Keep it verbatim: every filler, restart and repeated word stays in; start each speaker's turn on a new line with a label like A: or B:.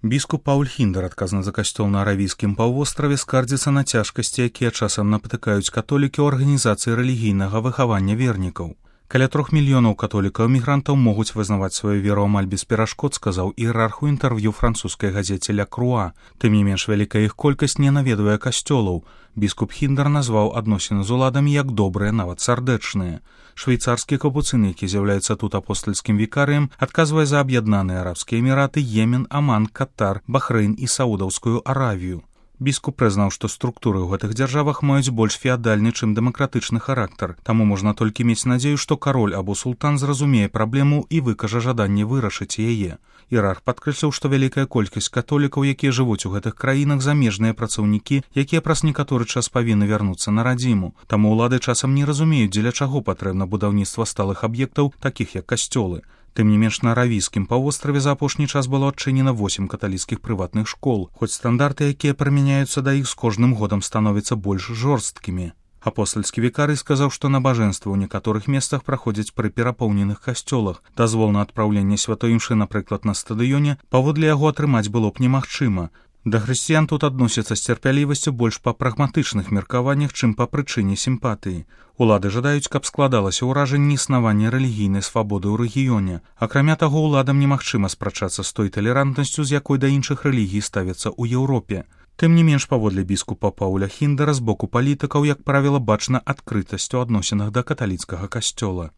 A: Біскуп Пауль Хіндер, адказны за касцёл на Аравійскім паўвостраве, скардзіцца на цяжкасці, якія часам напатыкаюць католікі ў арганізацыі рэлігійнага выхавання вернікаў. Каля трох мільёнаў католікаў-мігрантаў могуць вызнаваць сваю веру амаль без перашкод, сказаў іерарх у інтэрв'ю французскай газеце «Ля Круа». Тым не менш, вялікая іх колькасць не наведвае касцёлаў. Біскуп Хіндер назваў адносіны з уладамі як добрыя, нават сардэчныя. Швейцарскі капуцын, які з'яўляецца тут апостальскім вікарыем, адказвае за аб'яднаныя арабскія эміраты, Йемен, Аман, Катар, Бахрэйн і Саудаўскую Аравію. Біскуп прызнаў, што структуры ў гэтых дзяржавах маюць больш феадальны, чым дэмакратычны характар. Таму можна толькі мець надзею, што кароль або султан зразумее праблему і выкажа жаданне вырашыць яе. Іерарх падкрэсліў, што вялікая колькасць католікаў, якія жывуць у гэтых краінах, замежныя працаўнікі, якія праз некаторы час павінны вярнуцца на радзіму. Таму ўлады часам не разумеюць, дзеля чаго патрэбна будаўніцтва сталых аб'ектаў, такіх як касцёлы. Тым не менш, на Аравійскім паўвостраве за апошні час было адчынена восем каталіцкіх прыватных школ, хоць стандарты, якія прымяняюцца да іх, з кожным годам становяцца больш жорсткімі. Апостальскі вікарый сказаў, што набажэнствы ў некаторых месцах праходзяць пры перапоўненых касцёлах. Дазвол на адпраўленне святой імшы, напрыклад, на стадыёне, паводле яго атрымаць было б немагчыма. Да хрысціян тут адносяцца з цярпялівасцю больш па прагматычных меркаваннях, чым па прычыне сімпатыі. Улады жадаюць, каб складалася ўражанне існавання рэлігійнай свабоды ў рэгіёне. Акрамя таго, уладам немагчыма спрачацца з той талерантнасцю, з якой да іншых рэлігій ставяцца ў Еўропе. Тым не менш, паводле біскупа Пауля Хіндера, з боку палітыкаў, як правіла, бачна адкрытасць у адносінах да каталіцкага касцёла.